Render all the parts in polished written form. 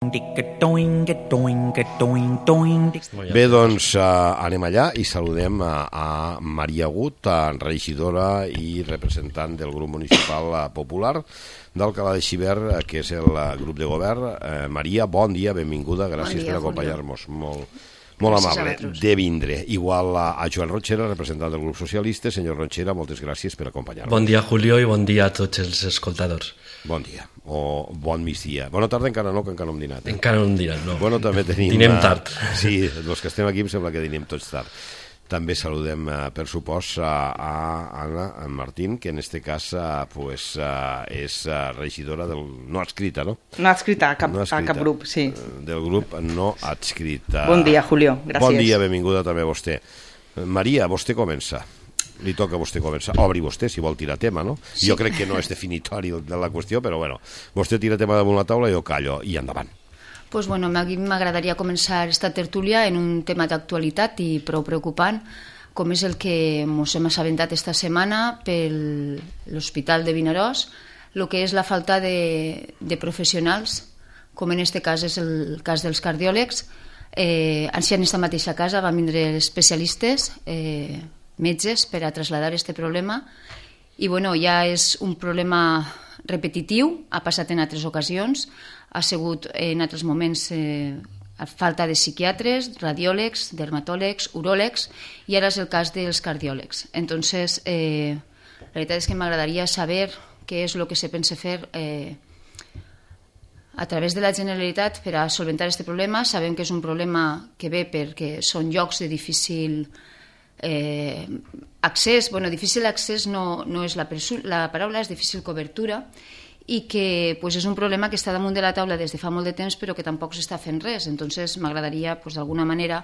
Bé, doncs anem allà i saludem a Maria Agut, regidora i representant del grup municipal popular d'Alcalá de Xivert, que és el grup de govern. Maria, bon dia, benvinguda, gràcies per acompanyar-nos. Molt amable de vindre. Igual a Joan Ronchera, representant del grup socialista. Senyor Ronchera, moltes gràcies per acompanyar-nos. Bon dia, Julio, i bon dia a tots els escoltadors. Bon dia, o bon migdia. Bona tarda encara no, que encara no hem dinat. Encara no hem dinat, no. Bueno, també tenim... Dinem tard. Sí, els que estem aquí em sembla que dinem tots tard. També saludem, per supost, a Anna Martín, que en este cas és regidora del... no adscrita, no? No adscrita a cap grup, sí. Del grup no adscrita. Bon dia, Julio, gràcies. Bon dia, benvinguda també a vostè. Maria, vostè comença. Li toca a vostè començar. Obri vostè, si vol tirar tema, no? Sí. Jo crec que no és definitori de la qüestió, però bueno, vostè tira tema damunt la taula i jo callo, i endavant. Pues bueno, a mi m'agradaria començar esta tertúlia en un tema d'actualitat i prou preocupant, com és el que ens hem assabentat esta setmana per l'Hospital de Vinaròs, el que és la falta de professionals, com en este cas és el cas dels cardiòlegs. Així en esta mateixa casa van vindre especialistes, metges, per a traslladar aquest problema, i bueno, ja és un problema repetitiu, ha passat en altres ocasions, ha sigut en altres moments falta de psiquiatres, radiòlegs, dermatòlegs, uròlegs, i ara és el cas dels cardiòlegs. Entonces, la veritat és que m'agradaria saber què és el que se pensa fer a través de la Generalitat per a solventar aquest problema. Sabem que és un problema que ve perquè són llocs de difícil accés, bueno, difícil accés no és la paraula, és difícil cobertura, i que és un problema que està damunt de la taula des de fa molt de temps però que tampoc s'està fent res. Entonces m'agradaria d'alguna manera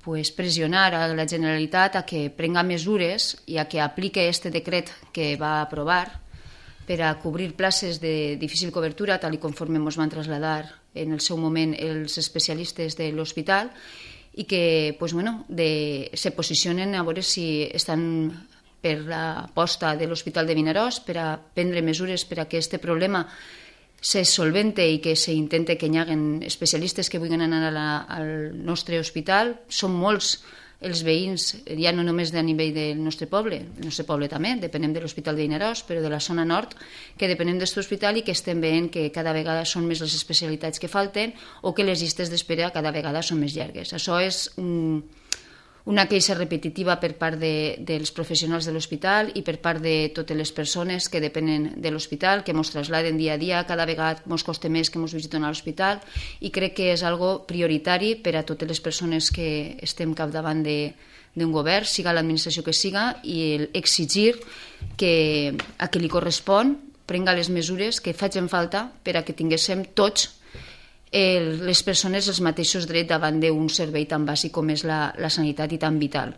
pressionar a la Generalitat a que prenga mesures i a que aplique aquest decret que va aprovar per a cobrir places de difícil cobertura, tal i conforme ens van traslladar en el seu moment els especialistes de l'hospital, i que se posicionen a veure si estan per l'aposta de l'Hospital de Vinaròs per a prendre mesures per a que aquest problema se solvente i que s'intente que hi hagi especialistes que vulguin anar al nostre hospital. Són molts els veïns, ja no només a nivell del nostre poble també, depenem de l'Hospital de Vinaròs, però de la zona nord, que depenem d'aquest hospital i que estem veient que cada vegada són més les especialitats que falten o que les llistes d'espera cada vegada són més llargues. Això és una queixa repetitiva per part dels professionals de l'hospital i per part de totes les persones que depenen de l'hospital, que ens trasladen dia a dia, cada vegada ens costa més que ens visiten a l'hospital, i crec que és algo prioritari per a totes les persones que estem capdavant d'un govern, siga l'administració que siga, i exigir que a qui li correspon prenga les mesures que facin falta per a que tinguéssim tots les persones els mateixos drets davant d'un servei tan bàsic com és la sanitat i tan vital.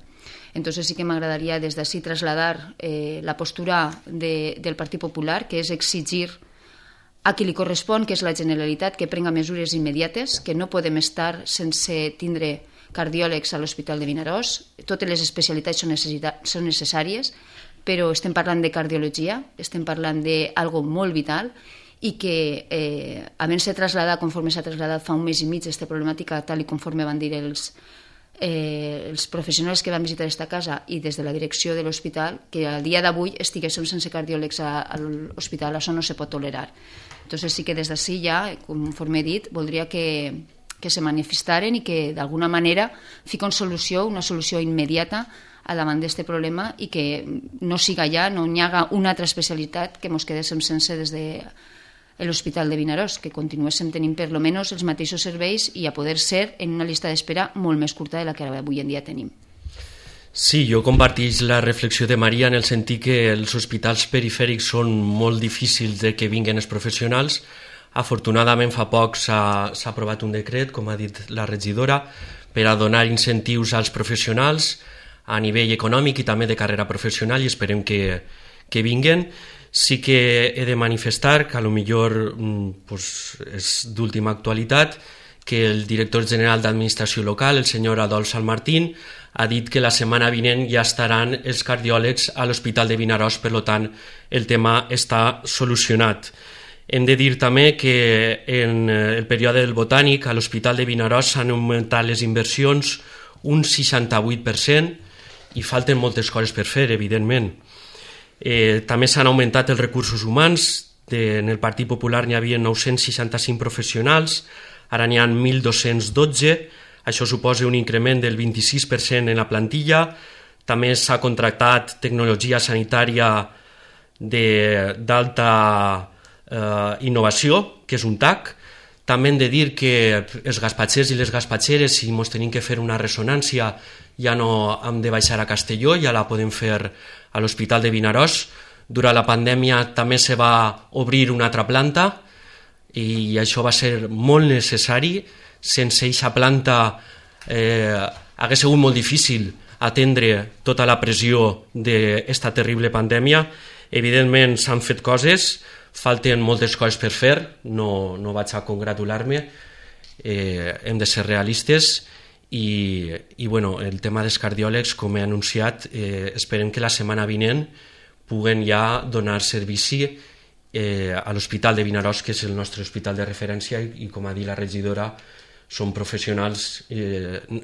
Entonces sí que m'agradaria des d'ací traslladar la postura del Partit Popular, que és exigir a qui li correspon, que és la Generalitat, que prenga mesures immediates, que no podem estar sense tindre cardiòlegs a l'Hospital de Vinaròs. Totes les especialitats són necessàries, però estem parlant de cardiologia, estem parlant d'algo molt vital, i que havent-se traslladat, conforme s'ha traslladat fa un mes i mig, aquesta problemàtica, tal i conforme van dir els professionals que van visitar aquesta casa i des de la direcció de l'hospital, que al dia d'avui estiguéssim sense cardiòlegs a l'hospital, això no se pot tolerar. Entonces sí que des d'ací ja, conforme he dit, voldria que se manifestaren i que d'alguna manera fiquen una solució immediata a davant d'aquest problema, i que no siga ja, no hi haga una altra especialitat que ens quedéssim sense des de l'Hospital de Vinaròs, que continuéssim tenint per lo menos els mateixos serveis i a poder ser en una llista d'espera molt més curta de la que avui en dia tenim. Sí, jo comparteix la reflexió de Maria en el sentit que els hospitals perifèrics són molt difícils de que vinguin els professionals. Afortunadament fa poc s'ha aprovat un decret, com ha dit la regidora, per a donar incentius als professionals a nivell econòmic i també de carrera professional, i esperem que vinguin. Sí que he de manifestar que potser és d'última actualitat que el director general d'Administració Local, el senyor Adolf Salmartín, ha dit que la setmana vinent ja estaran els cardiòlegs a l'Hospital de Vinaròs, per tant el tema està solucionat. Hem de dir també que en el període del Botànic a l'Hospital de Vinaròs s'han augmentat les inversions un 68% i falten moltes coses per fer, evidentment. També s'han augmentat els recursos humans. En el Partit Popular n'hi havia 965 professionals, ara n'hi ha 1.212, això suposa un increment del 26% en la plantilla. També s'ha contractat tecnologia sanitària d'alta innovació, que és un TAC. També hem de dir que els gaspatxers i les gaspatxeres, si ens tenim que fer una ressonància, ja no hem de baixar a Castelló, ja la podem fer a l'Hospital de Vinaròs. Durant la pandèmia també se va obrir una altra planta i això va ser molt necessari. Sense aquesta planta hagués sigut molt difícil atendre tota la pressió d'esta terrible pandèmia. Evidentment s'han fet coses, falten moltes coses per fer, no vaig a congratular-me, hem de ser realistes i bueno, el tema dels cardiòlegs, com he anunciat, esperem que la setmana vinent puguen ja donar servici a l'Hospital de Vinaròs, que és el nostre hospital de referència i com ha dit la regidora, són professionals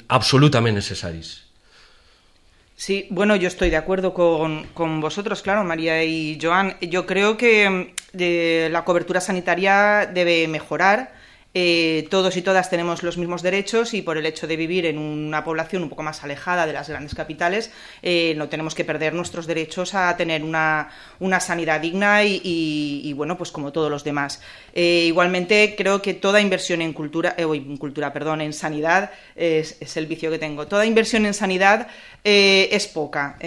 absolutament necessaris. Sí, bueno, yo estoy de acuerdo con vosotros, claro, María y Joan. Yo creo que la cobertura sanitaria debe mejorar. Todos y todas tenemos los mismos derechos y por el hecho de vivir en una población un poco más alejada de las grandes capitales no tenemos que perder nuestros derechos a tener una sanidad digna y bueno, pues como todos los demás. Igualmente creo que toda inversión en en sanidad es el vicio que tengo. Toda inversión en sanidad es poca.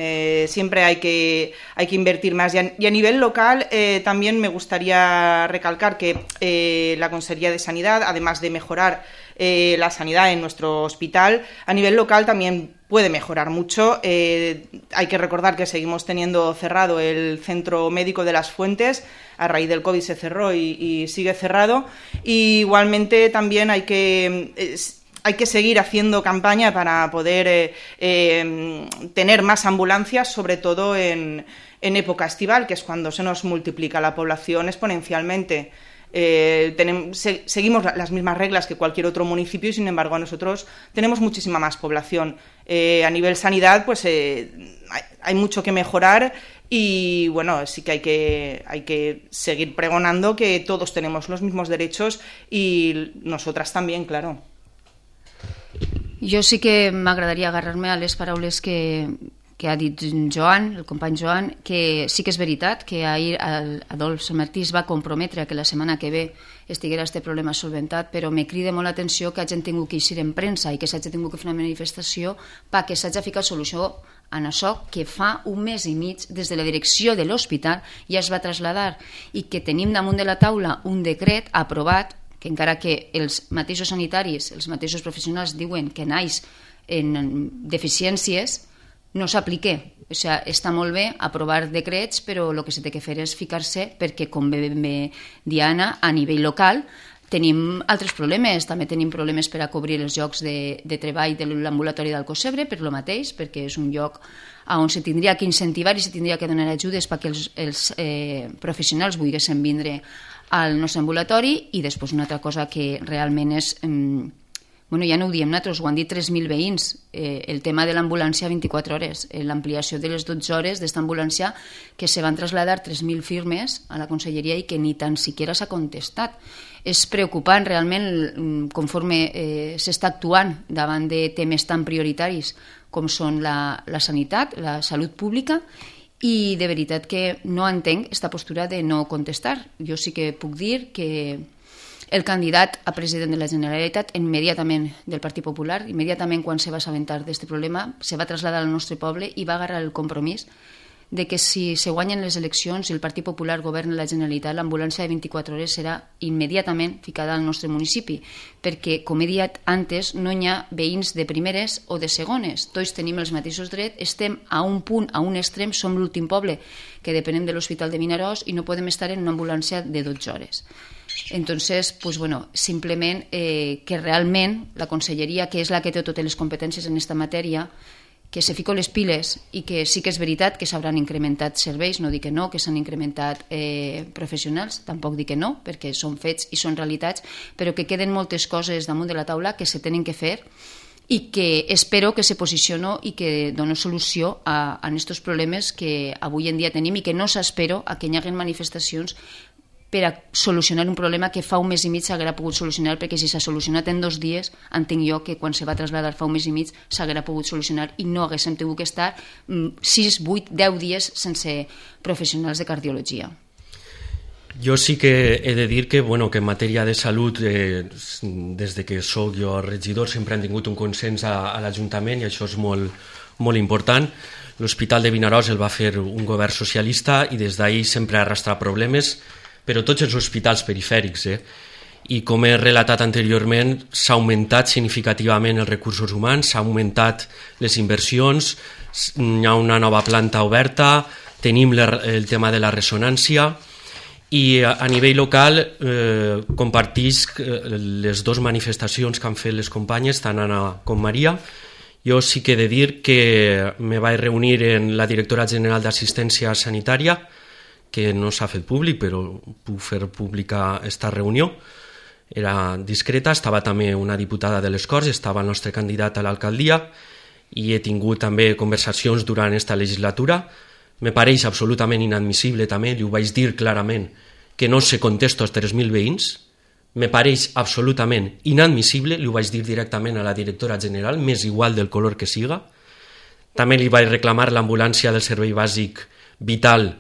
Siempre hay que invertir más y a nivel local también me gustaría recalcar que la Consejería de Sanidad, además de mejorar la sanidad en nuestro hospital, a nivel local también puede mejorar mucho. Hay que recordar que seguimos teniendo cerrado el Centro Médico de las Fuentes. A raíz del COVID se cerró y sigue cerrado. Y igualmente también hay que seguir haciendo campaña para poder tener más ambulancias, sobre todo en época estival, que es cuando se nos multiplica la población exponencialmente. Seguimos las mismas reglas que cualquier otro municipio y sin embargo nosotros tenemos muchísima más población. A nivel sanidad pues hay mucho que mejorar y bueno, sí que hay que seguir pregonando que todos tenemos los mismos derechos y nosotras también, claro. Jo sí que m'agradaria agarrar-me a les paraules que ha dit Joan, el company Joan, que sí que és veritat que ahir Adolf Martí es va comprometre a que la setmana que ve estiguera aquest problema solventat, però me crida molt l'atenció que hagin tingut que eixir en premsa i que s'hagi tingut que fer una manifestació perquè s'hagi ficat solució en això que fa un mes i mig des de la direcció de l'hospital ja es va traslladar i que tenim damunt de la taula un decret aprovat que encara que els mateixos sanitaris, els mateixos professionals diuen que naix en deficiències, no s'aplica. O sigui, està molt bé aprovar decrets, però el que s'ha de fer és ficar-se perquè, com bé Diana, a nivell local tenim altres problemes. També tenim problemes per a cobrir els llocs de treball de l'ambulatori d'Alcossebre, per lo mateix, perquè és un lloc on se tindria que incentivar i se tindria que donar ajudes perquè els professionals volguessin vindre al nostre ambulatori. I després una altra cosa que realment és... ja no ho diem nosaltres, ho han dit 3.000 veïns, el tema de l'ambulància 24 hores, l'ampliació de les 12 hores d'esta ambulància, que se van traslladar 3.000 firmes a la conselleria i que ni tan siquiera s'ha contestat. És preocupant realment conforme s'està actuant davant de temes tan prioritaris com són la sanitat, la salut pública, i de veritat que no entenc aquesta postura de no contestar. Jo sí que puc dir que el candidat a president de la Generalitat immediatament del Partit Popular, immediatament quan se va assabentar d'aquest problema, se va traslladar al nostre poble i va agarrar el compromís de que si se guanyen les eleccions i el Partit Popular governa la Generalitat, l'ambulància de 24 hores serà immediatament ficada al nostre municipi, perquè, com he dit antes, no hi ha veïns de primeres o de segones. Tots tenim els mateixos drets, estem a un punt, a un extrem, som l'últim poble que depenem de l'Hospital de Vinaròs i no podem estar en una ambulància de 12 hores. Entonces, pues bueno, simplement que realment la conselleria, que és la que té totes les competències en aquesta matèria, que se fico les piles i que sí que és veritat que s'hauran incrementat serveis, no dic que no, que s'han incrementat professionals, tampoc dic que no, perquè són fets i són realitats, però que queden moltes coses damunt de la taula que se tenen que fer i que espero que se posiciono i que doni solució a aquests problemes que avui en dia tenim i que no s'espero a que hi hagi manifestacions per a solucionar un problema que fa un mes i mig s'haguera pogut solucionar, perquè si s'ha solucionat en 2 dies, entenc jo que quan se va traslladar fa un mes i mig s'haguera pogut solucionar i no haguéssim tingut que estar 6, 8, 10 dies sense professionals de cardiologia. Jo sí que he de dir que, que en matèria de salut, des de que soc jo regidor, sempre han tingut un consens a l'Ajuntament i això és molt, molt important. L'Hospital de Vinaròs el va fer un govern socialista i des d'ahir sempre ha arrastrat problemes, però tots els hospitals perifèrics. I com he relatat anteriorment, s'ha augmentat significativament els recursos humans, s'ha augmentat les inversions, hi ha una nova planta oberta, tenim el tema de la ressonància i a nivell local compartisc les 2 manifestacions que han fet les companyes, tant Anna com Maria. Jo sí que he de dir que me vaig reunir amb la directora general d'Assistència Sanitària, que no s'ha fet públic, però puc fer pública aquesta reunió. Era discreta, estava també una diputada de les Corts, estava el nostre candidat a l'alcaldia i he tingut també conversacions durant aquesta legislatura. Me pareix absolutament inadmissible també, li ho vaig dir clarament, que no se contesto als 3.000 veïns. Me pareix absolutament inadmissible, li ho vaig dir directament a la directora general, m'és igual del color que siga. També li vaig reclamar l'ambulància del servei bàsic vital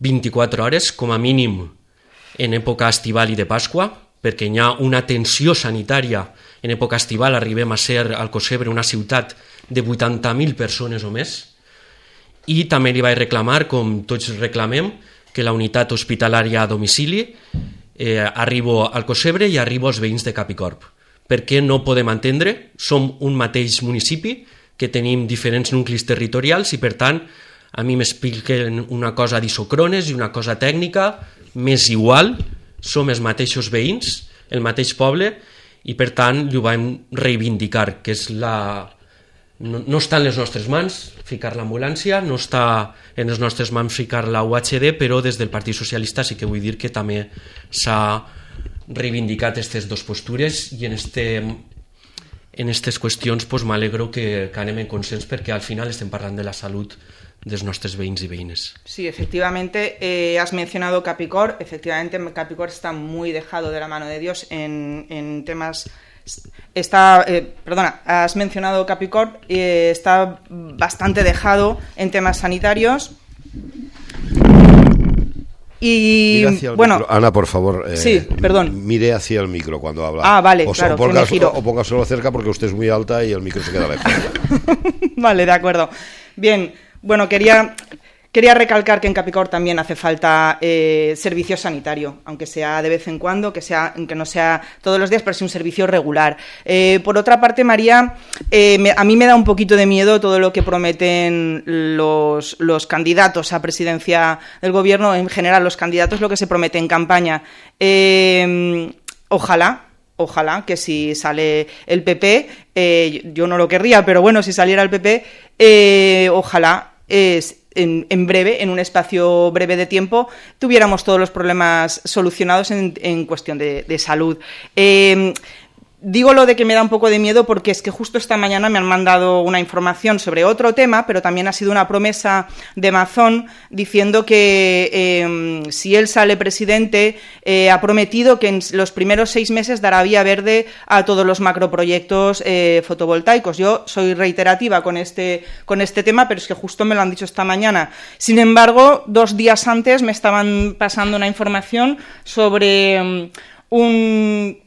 24 hores, com a mínim en època estival i de Pasqua, perquè hi ha una tensió sanitària. En època estival arribem a ser al Cosebre una ciutat de 80.000 persones o més. I també li vaig reclamar, com tots reclamem, que la unitat hospitalària a domicili arribo al Cosebre i arribo als veïns de Capicorb. Perquè no podem entendre, som un mateix municipi, que tenim diferents nuclis territorials i per tant a mi m'expliquen una cosa d'isocrones i una cosa tècnica, m'és igual, som els mateixos veïns, el mateix poble, i per tant ho vam reivindicar, que és no està en les nostres mans ficar l'ambulància, no està en les nostres mans ficar la UHD, però des del Partit Socialista sí que vull dir que també s'ha reivindicat aquestes 2 postures i en aquestes qüestions m'alegro que anem en consens perquè al final estem parlant de la salut de nuestros veïns y veïnes. Sí, efectivamente, has mencionado Capicorb. Efectivamente, Capicorb está muy dejado de la mano de Dios en temas... has mencionado Capicorb, está bastante dejado en temas sanitarios. Y bueno, micro. Ana, por favor, sí, perdón. Mire hacia el micro cuando habla. Ah, vale, claro, o póngaselo cerca porque usted es muy alta y el micro se queda lejos. Vale, de acuerdo. Bien, bueno, quería recalcar que en Capicorb también hace falta servicio sanitario, aunque sea de vez en cuando, que no sea todos los días, pero sí un servicio regular. Por otra parte, María, a mí me da un poquito de miedo todo lo que prometen los candidatos a presidencia del gobierno, en general los candidatos, lo que se promete en campaña. Ojalá que si sale el PP, yo no lo querría, pero bueno, si saliera el PP, ojalá en breve, en un espacio breve de tiempo, tuviéramos todos los problemas solucionados en cuestión de salud. Digo lo de que me da un poco de miedo porque es que justo esta mañana me han mandado una información sobre otro tema, pero también ha sido una promesa de Mazón diciendo que si él sale presidente ha prometido que en los primeros 6 meses dará vía verde a todos los macroproyectos fotovoltaicos. Yo soy reiterativa con este tema, pero es que justo me lo han dicho esta mañana. Sin embargo, 2 días antes me estaban pasando una información sobre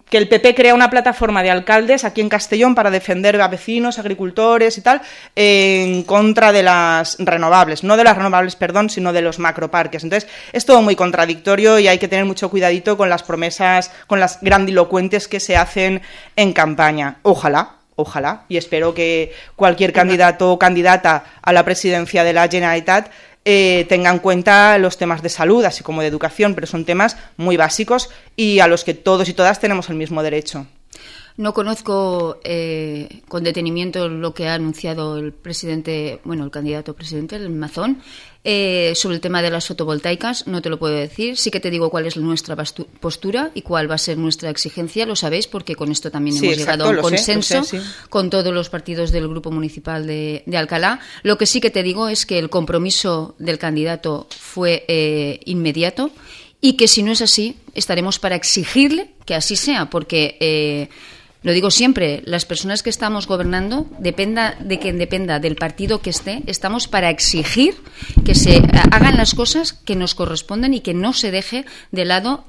que el PP crea una plataforma de alcaldes aquí en Castellón para defender a vecinos, agricultores y tal, en contra de las renovables, no de las renovables, perdón, sino de los macroparques. Entonces, es todo muy contradictorio y hay que tener mucho cuidadito con las promesas, con las grandilocuentes que se hacen en campaña. Ojalá, y espero que cualquier candidato o candidata a la presidencia de la Generalitat tenga en cuenta los temas de salud, así como de educación, pero son temas muy básicos y a los que todos y todas tenemos el mismo derecho. No conozco con detenimiento lo que ha anunciado el presidente, bueno, el candidato presidente, el Mazón, sobre el tema de las fotovoltaicas. No te lo puedo decir. Sí que te digo cuál es nuestra postura y cuál va a ser nuestra exigencia. Lo sabéis porque con esto también hemos llegado a un consenso con todos los partidos del Grupo Municipal de Alcalá. Lo que sí que te digo es que el compromiso del candidato fue inmediato y que si no es así, estaremos para exigirle que así sea, porque lo digo siempre, las personas que estamos gobernando, dependa de quien dependa del partido que esté, estamos para exigir que se hagan las cosas que nos corresponden y que no se deje de lado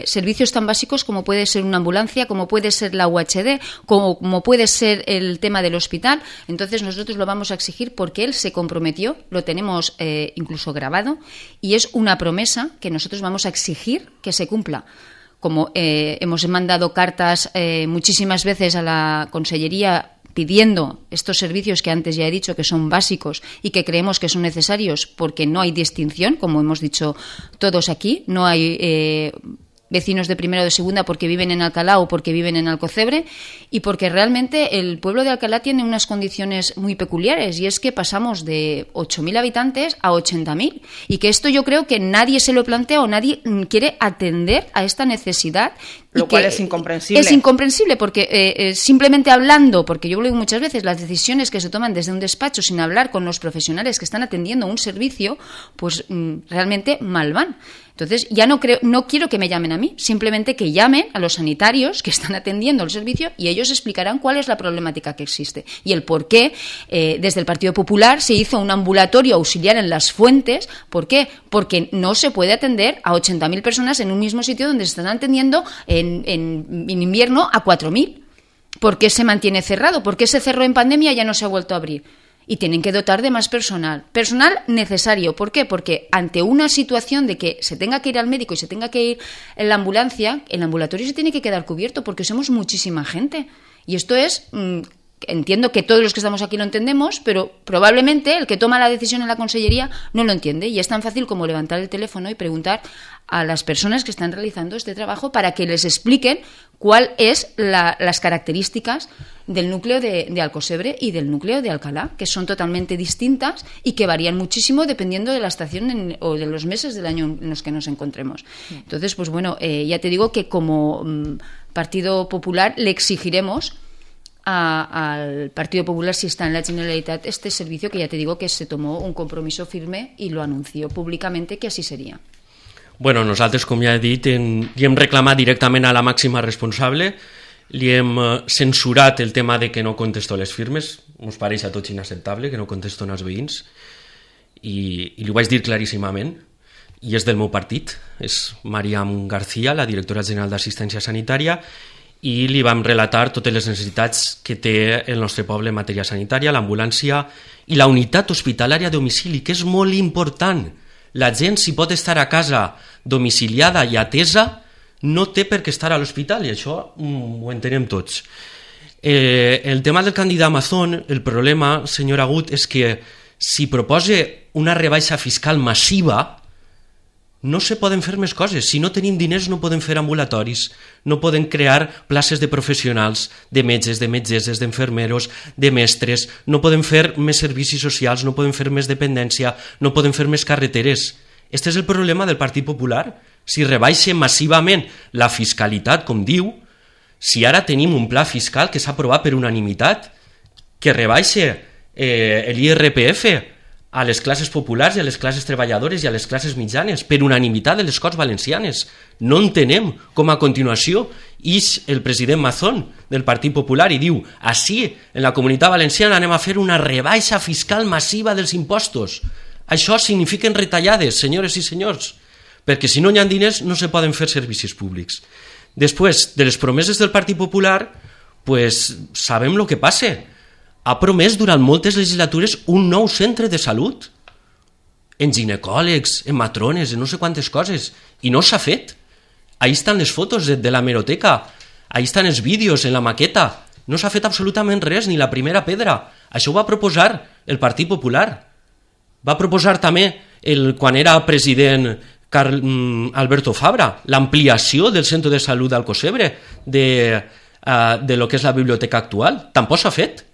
servicios tan básicos como puede ser una ambulancia, como puede ser la UHD, como puede ser el tema del hospital. Entonces nosotros lo vamos a exigir porque él se comprometió, lo tenemos incluso grabado, y es una promesa que nosotros vamos a exigir que se cumpla. Como hemos mandado cartas muchísimas veces a la Consellería pidiendo estos servicios que antes ya he dicho que son básicos y que creemos que son necesarios porque no hay distinción, como hemos dicho todos aquí, no hay vecinos de primera o de segunda porque viven en Alcalá o porque viven en Alcocebre, y porque realmente el pueblo de Alcalá tiene unas condiciones muy peculiares, y es que pasamos de 8.000 habitantes a 80.000, y que esto yo creo que nadie se lo plantea o nadie quiere atender a esta necesidad. Lo cual es incomprensible. Es incomprensible porque simplemente hablando, porque yo lo digo muchas veces, las decisiones que se toman desde un despacho sin hablar con los profesionales que están atendiendo un servicio, pues realmente mal van. Entonces, ya no quiero que me llamen a mí, simplemente que llamen a los sanitarios que están atendiendo el servicio y ellos explicarán cuál es la problemática que existe y el por qué desde el Partido Popular se hizo un ambulatorio auxiliar en Las Fuentes. ¿Por qué? Porque no se puede atender a 80.000 personas en un mismo sitio donde se están atendiendo en invierno a 4.000. ¿Por qué se mantiene cerrado? ¿Por qué se cerró en pandemia y ya no se ha vuelto a abrir? Y tienen que dotar de más personal necesario. ¿Por qué? Porque ante una situación de que se tenga que ir al médico y se tenga que ir en la ambulancia, el ambulatorio se tiene que quedar cubierto porque somos muchísima gente. Y esto es, entiendo que todos los que estamos aquí lo entendemos, pero probablemente el que toma la decisión en la Consellería no lo entiende. Y es tan fácil como levantar el teléfono y preguntar a las personas que están realizando este trabajo para que les expliquen cuál es las características del núcleo de Alcocebre y del núcleo de Alcalá, que son totalmente distintas y que varían muchísimo dependiendo de la estación o de los meses del año en los que nos encontremos. Entonces, pues bueno, ya te digo que como Partido Popular le exigiremos al Partido Popular, si está en la Generalitat, este servicio, que ya te digo que se tomó un compromiso firme y lo anunció públicamente que así seria. Bueno, nosaltres, com ja he dit, li hem reclamat directament a la màxima responsable, li hem censurat el tema de que no contesto les firmes, ens pareix a tots inacceptable que no contesto als veïns, i li ho vaig dir claríssimament, i és del meu partit, és Mariam García, la directora general d'Assistència Sanitària, i li vam relatar totes les necessitats que té el nostre poble en matèria sanitària, l'ambulància i la unitat hospitalària a domicili, que és molt important. La gent, si pot estar a casa domiciliada i atesa, no té per què estar a l'hospital, i això ho entenem tots. El tema del candidat Mazón, el problema, senyor Agut, és que si proposa una rebaixa fiscal massiva, no se poden fer més coses. Si no tenim diners no podem fer ambulatoris, no podem crear places de professionals, de metges, de metgesses, d'enfermeros, de mestres, no podem fer més servicis socials, no podem fer més dependència, no podem fer més carreteres. Este és el problema del Partit Popular. Si rebaixa massivament la fiscalitat, com diu, si ara tenim un pla fiscal que s'ha aprovat per unanimitat, que rebaixa l'IRPF a les classes populars i a les classes treballadores i a les classes mitjanes, per unanimitat de les Corts Valencianes. No entenem com a continuació ix el president Mazón del Partit Popular i diu: així, en la Comunitat Valenciana anem a fer una rebaixa fiscal massiva dels impostos. Això signifiquen retallades, senyores i senyors, perquè si no hi ha diners no se poden fer servicis públics. Després de les promeses del Partit Popular, pues sabem el que passa. Ha promès durant moltes legislatures un nou centre de salut, en ginecòlegs, en matrones, en no sé quantes coses, i no s'ha fet. Ahí estan les fotos de la hemeroteca, ahí estan els vídeos en la maqueta, no s'ha fet absolutament res, ni la primera pedra. Això ho va proposar el Partit Popular. Va proposar també, quan era president Alberto Fabra, l'ampliació del centre de salut d'Alcocebre, de lo que és la biblioteca actual. Tampoc s'ha fet.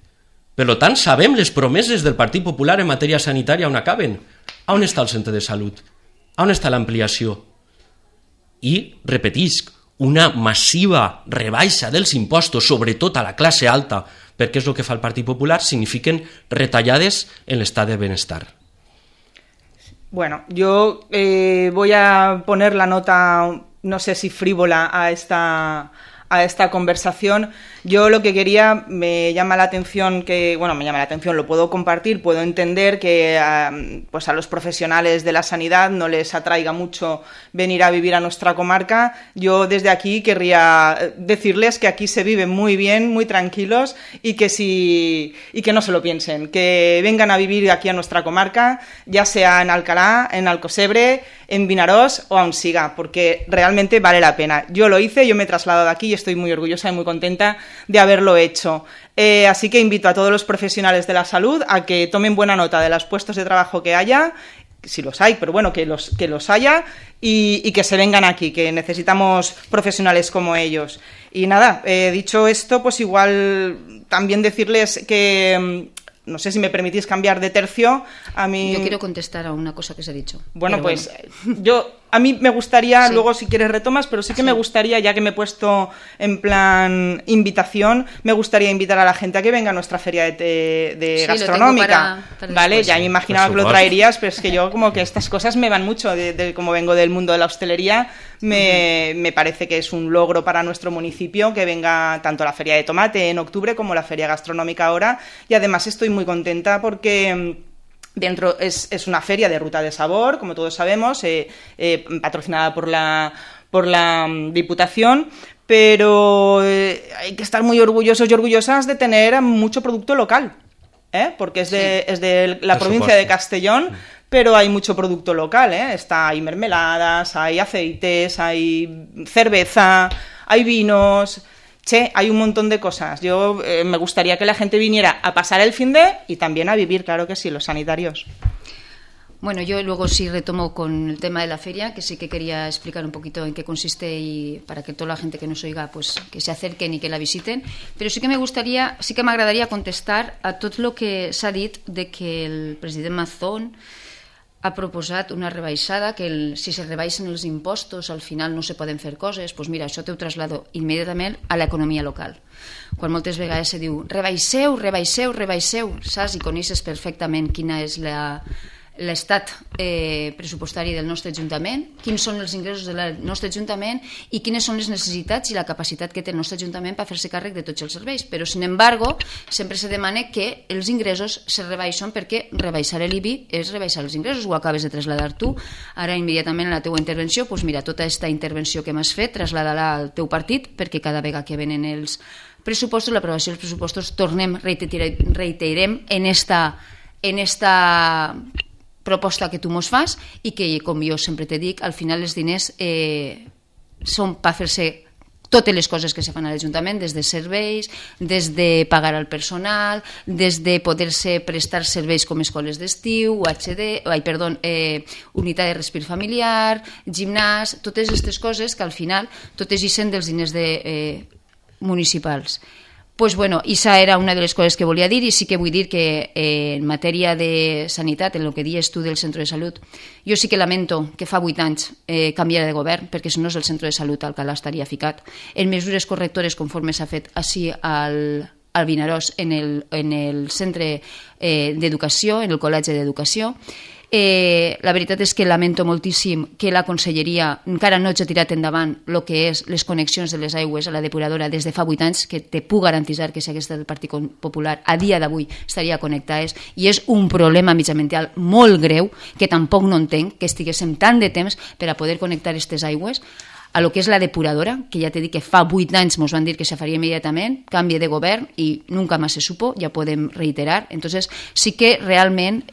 Per tant, sabem les promeses del Partit Popular en matèria sanitària on acaben. On està el centre de salut? On està l'ampliació? I, repetisc, una massiva rebaixa dels impostos, sobretot a la classe alta, perquè és el que fa el Partit Popular, signifiquen retallades en l'estat de benestar. Bueno, yo voy a poner la nota, no sé si frívola, a esta conversación. Yo lo que quería, me llama la atención, lo puedo compartir, puedo entender que pues a los profesionales de la sanidad no les atraiga mucho venir a vivir a nuestra comarca. Yo desde aquí querría decirles que aquí se vive muy bien, muy tranquilos y que no se lo piensen, que vengan a vivir aquí a nuestra comarca, ya sea en Alcalá, en Alcocebre, en Vinarós o aún siga, porque realmente vale la pena. Yo lo hice, yo me he trasladado aquí y estoy muy orgullosa y muy contenta de haberlo hecho. Así que invito a todos los profesionales de la salud a que tomen buena nota de los puestos de trabajo que haya, si los hay, pero bueno, que los haya y que se vengan aquí, que necesitamos profesionales como ellos. Y nada, dicho esto, pues igual también decirles que... No sé si me permitís cambiar de tercio. A mí... Yo quiero contestar a una cosa que se ha dicho. Bueno, pues a mí me gustaría, sí. Luego si quieres retomas, pero sí que me gustaría, ya que me he puesto en plan invitación, me gustaría invitar a la gente a que venga a nuestra feria de gastronómica. Para ¿vale? Después. Ya me imaginaba que lo traerías, pero es que yo como que estas cosas me van mucho, como vengo del mundo de la hostelería, me parece que es un logro para nuestro municipio que venga tanto la feria de tomate en octubre como la feria gastronómica ahora, y además estoy muy contenta porque... Dentro es una feria de ruta de sabor, como todos sabemos, patrocinada por la Diputación, pero hay que estar muy orgullosos y orgullosas de tener mucho producto local, porque es de la provincia de Castellón, pero hay mucho producto local, hay mermeladas, hay aceites, hay cerveza, hay vinos... hay un montón de cosas. Yo me gustaría que la gente viniera a pasar el fin de y también a vivir, claro que sí, los sanitarios. Bueno, yo luego sí retomo con el tema de la feria, que sí que quería explicar un poquito en qué consiste y para que toda la gente que nos oiga pues que se acerquen y que la visiten. Però sí que m'agradaria contestar a tot el que s'ha dit de que el president Mazón ha proposat una rebaixada, que si se rebaixen els impostos al final no se poden fer coses, doncs mira, això t'ho traslado immediatament a l'economia local. Quan moltes vegades se diu rebaixeu, saps? I coneixes perfectament quina és l'estat pressupostari del nostre Ajuntament, quins són els ingressos del nostre Ajuntament i quines són les necessitats i la capacitat que té el nostre Ajuntament per fer-se càrrec de tots els serveis. Però, sin embargo, sempre se demana que els ingressos se rebaixen perquè rebaixar l'IBI és rebaixar els ingressos. Ho acabes de traslladar tu. Ara, immediatament, en la teua intervenció, doncs mira, tota aquesta intervenció que m'has fet, traslada-la al teu partit, perquè cada vegada que venen els pressupostos, l'aprovació dels pressupostos, reiterem en esta proposta que tu mos fas i que, com jo sempre te dic, al final els diners són per fer-se totes les coses que se fan a l'Ajuntament, des de serveis, des de pagar al personal, des de poder-se prestar serveis com escoles d'estiu, unitat de respir familiar, gimnàs, totes aquestes coses que al final totes hi sent dels diners municipals. Pues bueno, esa era una de les coses que volia dir, i sí que vull dir que en matèria de sanitat, en el que dius tu del centre de salut, jo sí que lamento que fa 8 anys canviara de govern, perquè si no és el centre de salut al Alcalà estaria ficat en mesures correctores conforme s'ha fet així al Vinaròs en el centre d'educació, en el col·legi d'educació. La veritat és que lamento moltíssim que la conselleria encara no hagi tirat endavant el que és les connexions de les aigües a la depuradora des de fa 8 anys, que te puc garantir que si hagués estat el Partit Popular a dia d'avui estaria connectades, i és un problema mitjambiental molt greu que tampoc no entenc que estiguéssim tant de temps per a poder connectar aquestes aigües a lo que és la depuradora, que ja t'he dit que fa 8 anys ens van dir que se faria immediatament, canvi de govern i nunca més se supo, ja podem reiterar. Entonces sí que realment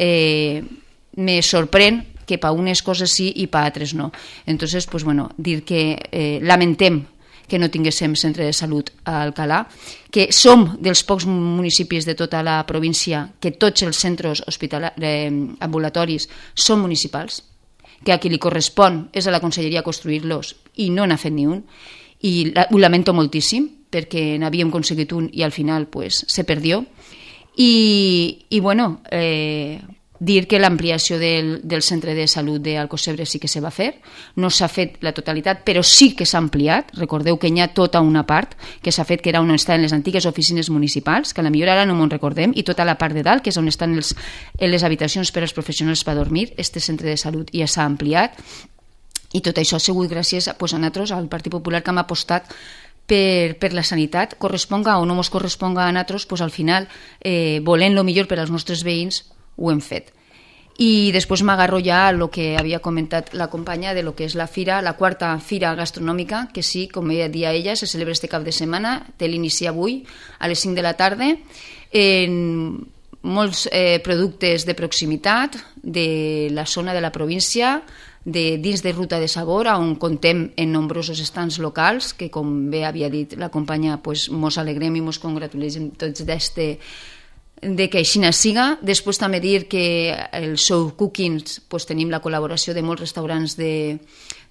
me sorprèn que per unes coses sí i per altres no. Entonces, pues bueno, dir que lamentem que no tinguéssim centre de salut a Alcalà, que som dels pocs municipis de tota la província que tots els centres ambulatoris són municipals, que a qui li correspon és a la conselleria construir-los i no n'ha fet ni un, i ho lamento moltíssim perquè n'havíem aconseguit un i al final pues, se perdió. I bueno, dir que l'ampliació del centre de salut d'Alcocebre sí que se va fer, no s'ha fet la totalitat, però sí que s'ha ampliat. Recordeu que hi ha tota una part que s'ha fet, que era on estan les antigues oficines municipals, que a la millor ara no me'n recordem, i tota la part de dalt, que és on estan les habitacions per als professionals per dormir. Este centre de salut ja s'ha ampliat, i tot això ha sigut gràcies a nosaltres, al Partit Popular, que hem apostat per la sanitat, corresponga o no ens corresponga a nosaltres, pues al final, volent el millor per als nostres veïns, ho hem fet. I després m'agarro ja a el que havia comentat la companya de lo que és la fira, la quarta fira gastronòmica, que sí, com dia ella, se celebra este cap de setmana, té l'inici avui a les 5 de la tarda, en molts productes de proximitat de la zona de la província, dins de Ruta de Sabor, on contem en nombrosos estants locals, que com bé havia dit la companya, pues, mos alegrem i mos congratulem tots de que així siga. Després també dir que el Show Cookings pues, tenim la col·laboració de molts restaurants de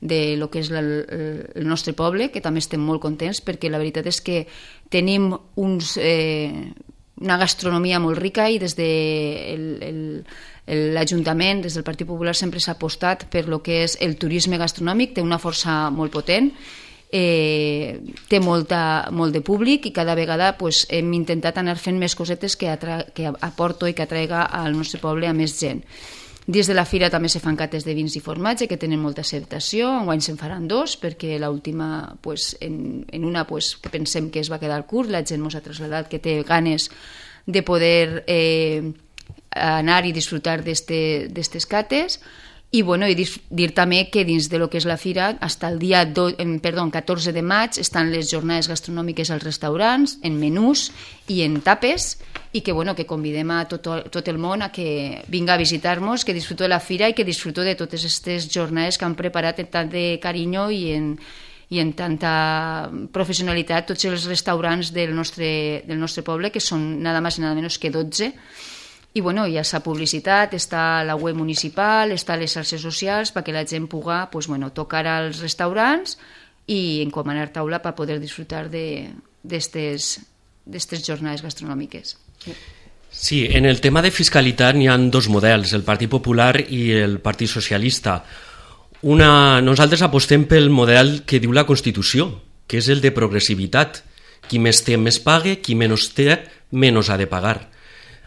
lo que és el nostre poble, que també estem molt contents, perquè la veritat és que tenim una gastronomia molt rica i des de l'Ajuntament, des del Partit Popular, sempre s'ha apostat per lo que és el turisme gastronòmic, té una força molt potent, té molt de públic i cada vegada pues, hem intentat anar fent més cosetes que aporto i que atraiga al nostre poble a més gent. Dins de la fira també se fan cates de vins i formatge que tenen molta acceptació, enguany se'n faran 2 perquè l'última, pues, en una pues, que pensem que es va quedar curt, la gent ens ha traslladat que té ganes de poder anar i disfrutar d'estes cates. I, bueno, dir també que dins de lo que és la fira, fins el dia 14 de maig estan les jornades gastronòmiques als restaurants, en menús i en tapes, i que, bueno, que convidem a tot el món a que vinga a visitar-nos, que disfruto de la fira i que disfruto de totes aquestes jornades que han preparat amb tant de carinyo i en tanta professionalitat tots els restaurants del nostre poble, que són nada més i nada menys que 12. I bueno, ja s'ha publicitat, està la web municipal, està a les xarxes socials perquè la gent pugui pues, bueno, tocar als restaurants i encomanar taula per poder disfrutar d'estes jornades gastronòmiques. Sí, en el tema de fiscalitat n'hi ha 2 models, el Partit Popular i el Partit Socialista. Nosaltres apostem pel model que diu la Constitució, que és el de progressivitat. Qui més té, més paga, qui menys té, menys ha de pagar.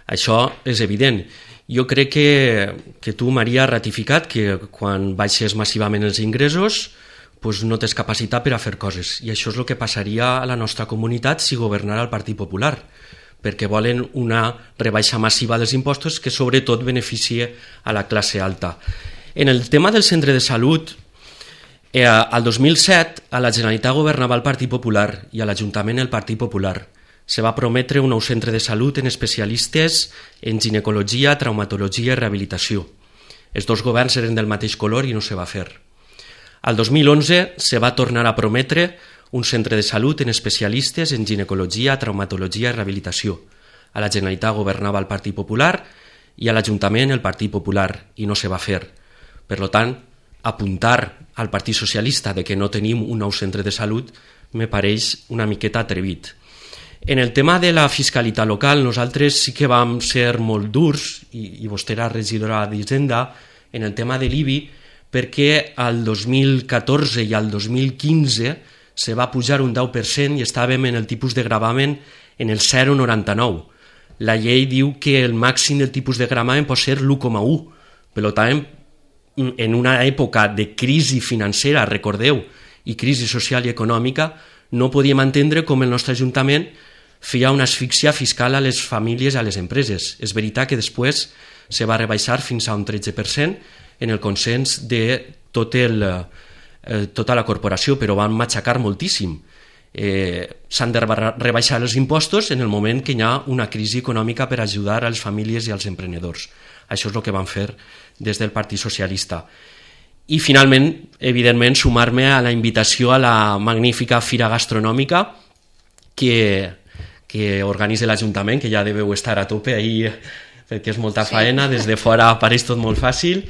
Això és evident. Jo crec que tu, Maria, has ratificat que quan baixes massivament els ingressos doncs no tens capacitat per a fer coses. I això és el que passaria a la nostra comunitat si governara el Partit Popular, perquè volen una rebaixa massiva dels impostos que sobretot beneficia a la classe alta. En el tema del centre de salut, al 2007 a la Generalitat governava el Partit Popular i a l'Ajuntament el Partit Popular. Se va prometre un nou centre de salut en especialistes en ginecologia, traumatologia i rehabilitació. Els 2 governs eren del mateix color i no se va fer. Al 2011 se va tornar a prometre un centre de salut en especialistes en ginecologia, traumatologia i rehabilitació. A la Generalitat governava el Partit Popular i a l'Ajuntament el Partit Popular i no se va fer. Per tant, apuntar al Partit Socialista de que no tenim un nou centre de salut me pareix una miqueta atrevit. En el tema de la fiscalitat local, nosaltres sí que vam ser molt durs, i vostè era regidora d'Hisenda, en el tema de l'IBI, perquè al 2014 i al 2015 se va pujar un 10% i estàvem en el tipus de gravamen en el 0,99. La llei diu que el màxim del tipus de gravamen pot ser l'1,1. Per tant, en una època de crisi financera, recordeu, i crisi social i econòmica, no podíem entendre com el nostre Ajuntament feia una asfíxia fiscal a les famílies i a les empreses. És veritat que després se va rebaixar fins a un 13% en el consens de tota la corporació, però van matxacar moltíssim. S'han de rebaixar els impostos en el moment que hi ha una crisi econòmica per ajudar a les famílies i als emprenedors. Això és el que van fer des del Partit Socialista. I finalment, evidentment, sumar-me a la invitació a la magnífica fira gastronòmica que organitza l'Ajuntament, que ja deveu estar a tope ahir perquè és molta faena, des de fora apareix tot molt fàcil.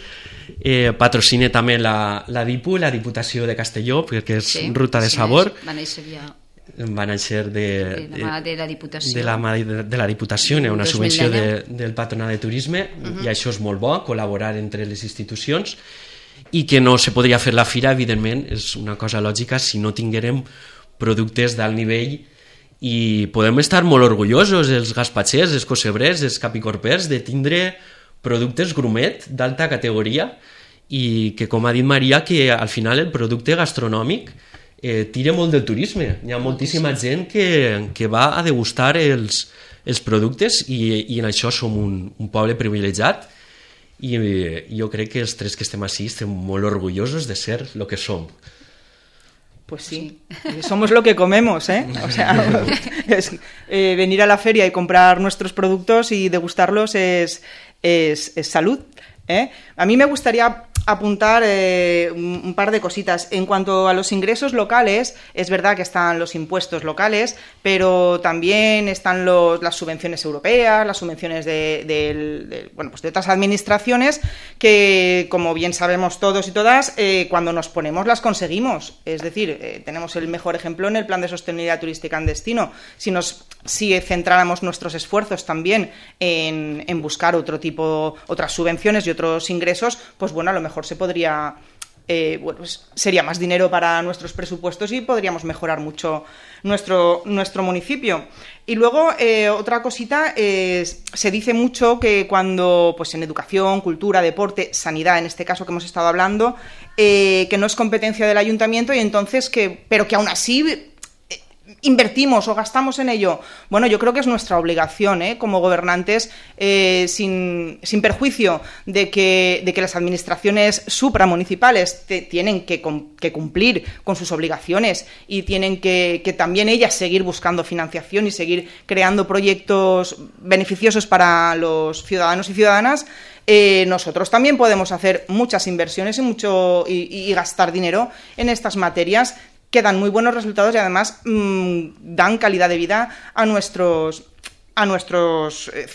Patrocina també la DIPU, la Diputació de Castelló, perquè és Ruta de Sabor. Va néixer de la Diputació, hi ha una subvenció del Patronat de Turisme, i això és molt bo, col·laborar entre les institucions, i que no se podria fer la fira, evidentment, és una cosa lògica si no tinguérem productes d'alt nivell, i podem estar molt orgullosos, els gaspatxers, els cosebrers, els capicorpers, de tindre productes grumet d'alta categoria, i que, com ha dit Maria, que al final el producte gastronòmic tira molt del turisme. Hi ha moltíssima gent que va a degustar els productes, i en això som un poble privilegiat, i jo crec que els tres que estem així estem molt orgullosos de ser el que som. Pues sí, somos lo que comemos, ¿eh? O sea, venir a la feria y comprar nuestros productos y degustarlos es salud, ¿eh? A mí me gustaría apuntar un par de cositas. En cuanto a los ingresos locales, es verdad que están los impuestos locales, pero también están las subvenciones europeas, las subvenciones de otras administraciones que, como bien sabemos todos y todas, cuando nos ponemos las conseguimos. Es decir, tenemos el mejor ejemplo en el Plan de Sostenibilidad Turística en Destino. Si centráramos nuestros esfuerzos también en buscar otras subvenciones y otros ingresos, pues bueno, a lo mejor se podría, sería más dinero para nuestros presupuestos y podríamos mejorar mucho nuestro municipio. Y luego, otra cosita, se dice mucho que cuando, pues en educación, cultura, deporte, sanidad, en este caso que hemos estado hablando, que no es competencia del ayuntamiento, y entonces pero que aún así invertimos o gastamos en ello. Bueno, yo creo que es nuestra obligación, como gobernantes, sin perjuicio de que las administraciones supramunicipales tienen que cumplir con sus obligaciones, y tienen que también ellas seguir buscando financiación y seguir creando proyectos beneficiosos para los ciudadanos y ciudadanas. Nosotros también podemos hacer muchas inversiones y gastar dinero en estas materias que dan muy buenos resultados, y además dan calidad de vida a nuestros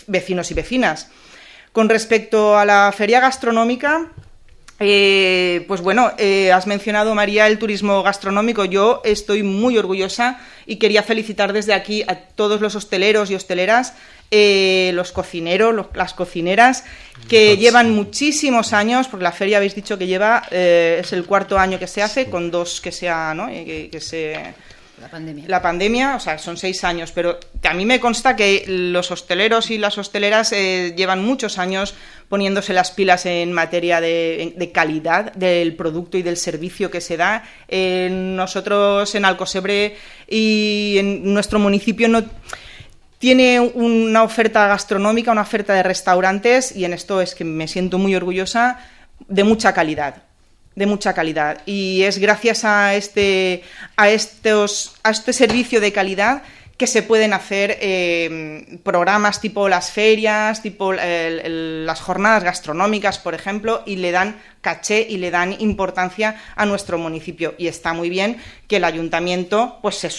vecinos y vecinas. Con respecto a la feria gastronómica, pues bueno, has mencionado, María, el turismo gastronómico. Yo estoy muy orgullosa y quería felicitar desde aquí a todos los hosteleros y hosteleras, los cocineros, las cocineras, que llevan muchísimos años, porque la feria habéis dicho que es el 4º año que se hace, con 2 que sea, ¿no? La pandemia, o sea, son 6 años, pero a mí me consta que los hosteleros y las hosteleras llevan muchos años poniéndose las pilas en materia de calidad del producto y del servicio que se da. Nosotros en Alcosebre y en nuestro municipio tiene una oferta gastronómica, una oferta de restaurantes, y en esto es que me siento muy orgullosa, de mucha calidad. Y es gracias a este servicio de calidad que se pueden hacer programas tipo las ferias, tipo las jornadas gastronómicas, por ejemplo, y le dan caché y le dan importancia a nuestro municipio. Y está muy bien que el ayuntamiento pues se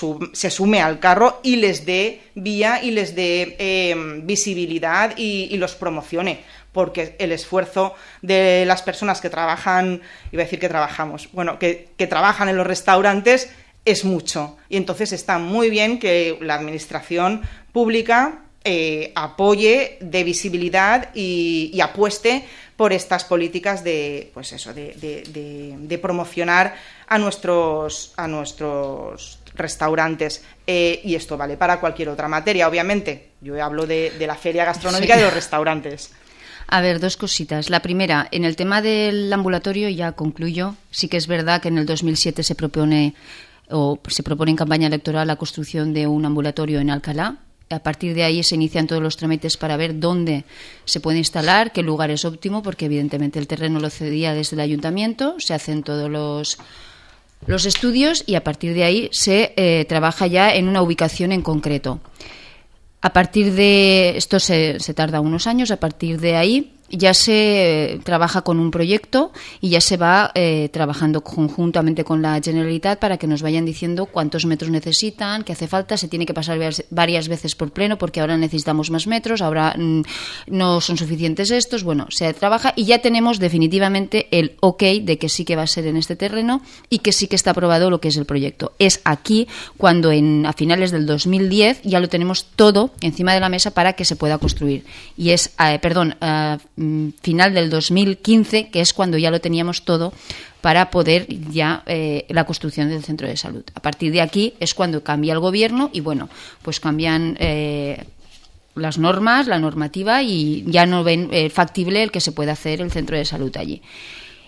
sume al carro y les dé vía y les dé visibilidad y los promocione, porque el esfuerzo de las personas que trabajan, que trabajan en los restaurantes es mucho, y entonces está muy bien que la administración pública apoye, dé visibilidad y apueste por estas políticas de promocionar a nuestros restaurantes, y esto vale para cualquier otra materia, obviamente. Yo hablo de la feria gastronómica y de los restaurantes. A ver, 2 cositas. La primera, en el tema del ambulatorio, ya concluyo. Sí que es verdad que en el 2007 se propone en campaña electoral la construcción de un ambulatorio en Alcalá. A partir de ahí se inician todos los trámites para ver dónde se puede instalar, qué lugar es óptimo, porque evidentemente el terreno lo cedía desde el ayuntamiento, se hacen todos los estudios, y a partir de ahí se trabaja ya en una ubicación en concreto. A partir de esto se tarda unos años. A partir de ahí ya se trabaja con un proyecto y ya se va trabajando conjuntamente con la Generalitat para que nos vayan diciendo cuántos metros necesitan, qué hace falta. Se tiene que pasar varias veces por pleno porque ahora necesitamos más metros, ahora no son suficientes estos. Bueno, se trabaja y ya tenemos definitivamente el ok de que sí que va a ser en este terreno y que sí que está aprobado lo que es el proyecto. Es aquí cuando a finales del 2010 ya lo tenemos todo encima de la mesa para que se pueda construir. Y es, final del 2015, que es cuando ya lo teníamos todo para poder ya la construcción del centro de salud. A partir de aquí es cuando cambia el gobierno y bueno, pues cambian las normas, la normativa y ya no ven factible el que se pueda hacer el centro de salud allí.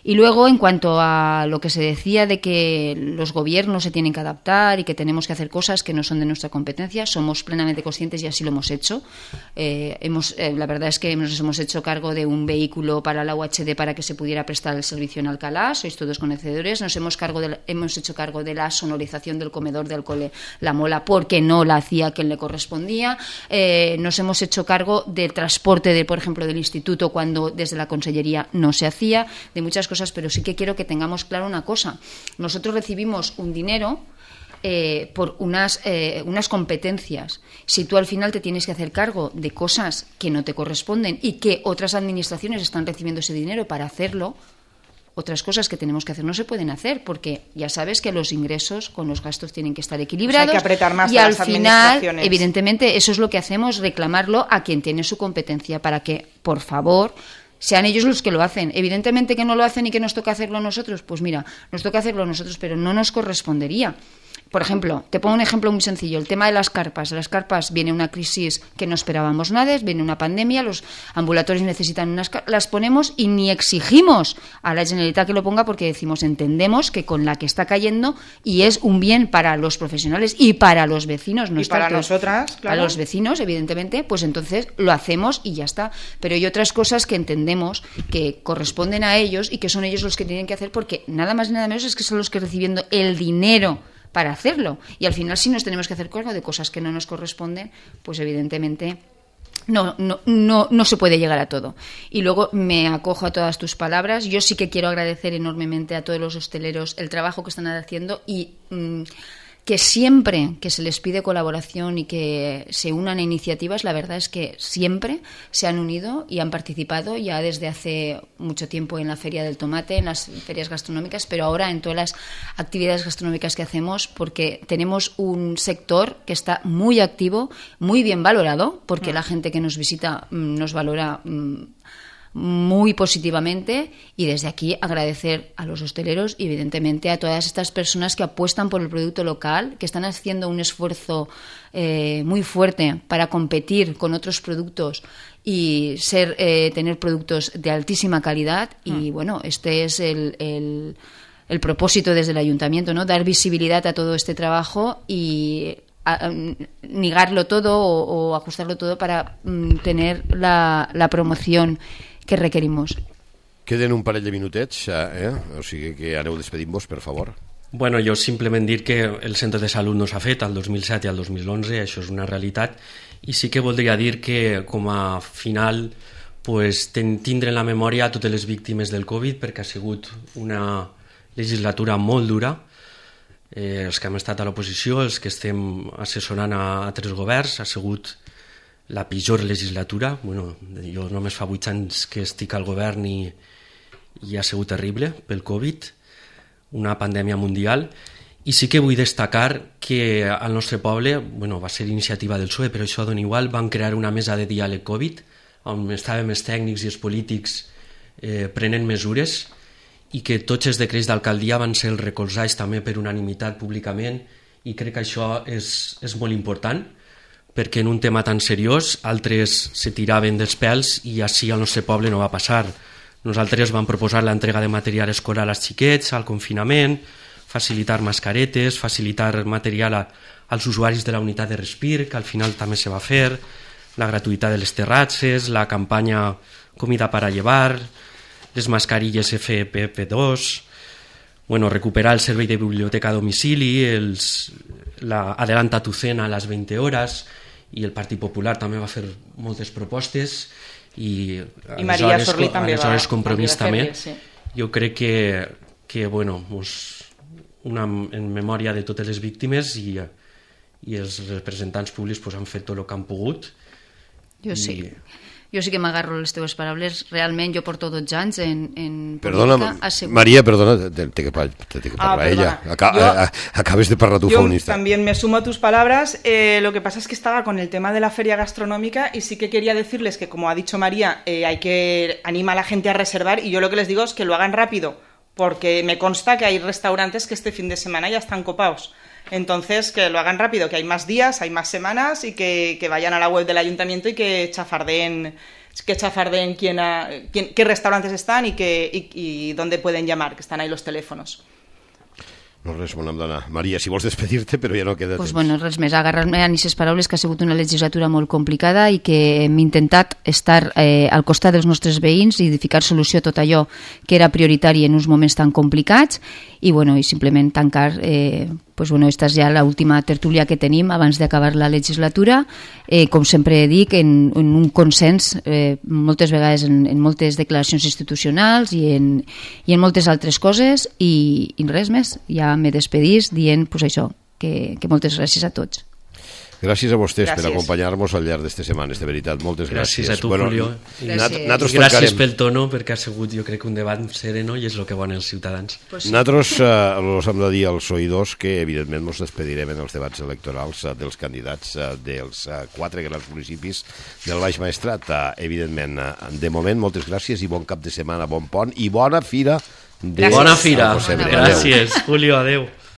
Y luego, en cuanto a lo que se decía de que los gobiernos se tienen que adaptar y que tenemos que hacer cosas que no son de nuestra competencia, somos plenamente conscientes y así lo hemos hecho. La verdad es que nos hemos hecho cargo de un vehículo para la UHD para que se pudiera prestar el servicio en Alcalá, sois todos conocedores. Nos hemos hecho cargo de la sonorización del comedor del cole La Mola porque no la hacía quien le correspondía. Nos hemos hecho cargo del transporte, por ejemplo, del instituto cuando desde la consellería no se hacía, de muchas cosas, pero sí que quiero que tengamos claro una cosa. Nosotros recibimos un dinero por unas competencias. Si tú al final te tienes que hacer cargo de cosas que no te corresponden y que otras administraciones están recibiendo ese dinero para hacerlo, otras cosas que tenemos que hacer no se pueden hacer porque ya sabes que los ingresos con los gastos tienen que estar equilibrados. Hay que apretar más y a al las final, evidentemente, eso es lo que hacemos, reclamarlo a quien tiene su competencia para que, por favor, sean ellos los que lo hacen. Evidentemente que no lo hacen y que nos toca hacerlo nosotros. Pues mira, nos toca hacerlo nosotros, pero no nos correspondería. Por ejemplo, te pongo un ejemplo muy sencillo, el tema de las carpas. Las carpas, viene una crisis que no esperábamos nada, viene una pandemia, los ambulatorios necesitan unas carpas, las ponemos y ni exigimos a la Generalitat que lo ponga porque decimos, entendemos que con la que está cayendo y es un bien para los profesionales y para los vecinos. No y para nosotras, claro. A los vecinos, evidentemente, pues entonces lo hacemos y ya está. Pero hay otras cosas que entendemos que corresponden a ellos y que son ellos los que tienen que hacer porque nada más y nada menos es que son los que recibiendo el dinero para hacerlo. Y al final, si nos tenemos que hacer cargo de cosas que no nos corresponden, pues evidentemente no se puede llegar a todo. Y luego me acojo a todas tus palabras. Yo sí que quiero agradecer enormemente a todos los hosteleros el trabajo que están haciendo y que siempre que se les pide colaboración y que se unan a iniciativas, la verdad es que siempre se han unido y han participado ya desde hace mucho tiempo en la Feria del Tomate, en las ferias gastronómicas, pero ahora en todas las actividades gastronómicas que hacemos, porque tenemos un sector que está muy activo, muy bien valorado, porque la gente que nos visita nos valora muy positivamente y desde aquí agradecer a los hosteleros y evidentemente a todas estas personas que apuestan por el producto local, que están haciendo un esfuerzo muy fuerte para competir con otros productos y tener productos de altísima calidad y bueno, este es el propósito desde el ayuntamiento, ¿no? Dar visibilidad a todo este trabajo y negarlo todo o ajustarlo todo para tener la promoción que requerimos. Queden un parell de minutets, o sigui que aneu despedint-vos, per favor. Bueno, jo simplement dir que el centre de salut no s'ha fet al 2007 i al 2011, això és una realitat, i sí que voldria dir que com a final pues, tindre en la memòria totes les víctimes del Covid perquè ha sigut una legislatura molt dura, els que hem estat a l'oposició, els que estem assessorant a altres governs, ha sigut la pitjor legislatura. Bueno, jo només fa 8 anys que estic al govern i ha sigut terrible pel Covid, una pandèmia mundial. I sí que vull destacar que al nostre poble, bueno, va ser iniciativa del PSOE, però això dona igual, van crear una mesa de diàleg Covid, on estàvem els tècnics i els polítics prenent mesures i que tots els decrets d'alcaldia van ser recolzats també per unanimitat públicament i crec que això és molt important perquè en un tema tan seriós altres se tiraven dels pèls i així al nostre poble no va passar. Nosaltres vam proposar l'entrega de material escolar als xiquets, al confinament, facilitar mascaretes, facilitar material als usuaris de la unitat de respir, que al final també se va fer, la gratuïtat de les terratses, la campanya Comida para llevar, les mascarilles FFP2, bueno, recuperar el servei de biblioteca a domicili, adelanta tu cena a les 20 hores, i el Partit Popular també va fer moltes propostes i Maria Sorli també aleshores Compromís també. sí. Jo crec que bueno, en memòria de totes les víctimes i els representants públics han fet tot el que han pogut. Jo sí que m'agarro les teves paraules. Realment jo porto 12 anys en Perdona, política. Maria, perdona, té que parlar ella. Acabes de parlar tú, feminista. Yo también me sumo a tus palabras. Lo que pasa es que estaba con el tema de la feria gastronómica y sí que quería decirles que, como ha dicho María, hay que animar a la gente a reservar, y yo lo que les digo es que lo hagan rápido, porque me consta que hay restaurantes que este fin de semana ya están copados. Entonces, que lo hagan rápido, que hay más días, hay más semanas, y que vayan a la web del ayuntamiento y que chafardeen qué restaurantes están y dónde pueden llamar, que están ahí los teléfonos. No res, bona dona. Maria, si vols despedir-te, però ja no queda temps. Bueno, res més, agarrar-me a aquestes paraules, que ha sigut una legislatura molt complicada i que hem intentat estar al costat dels nostres veïns i ficar solució a tot allò que era prioritari en uns moments tan complicats, i simplement tancar, esta és ja l'última tertúlia que tenim abans d'acabar la legislatura, com sempre dic, en un consens, moltes vegades en moltes declaracions institucionals i en moltes altres coses, i res més. Ja me despedís dient això, que moltes gràcies a tots. Gràcies a vostès per acompanyar-nos al llarg d'aquestes setmanes, de veritat, moltes gràcies. Gràcies a tu, Julio. Gràcies pel tono, perquè ha sigut, jo crec, un debat sereno i és el que volen els ciutadans. Nosaltres els hem de dir als oïdors que, evidentment, ens despedirem en els debats electorals dels candidats dels 4 grans municipis del Baix Maestrat. Evidentment, de moment, moltes gràcies i bon cap de setmana, bon pont i bona fira. Bona fira. Gràcies, Julio, adeu.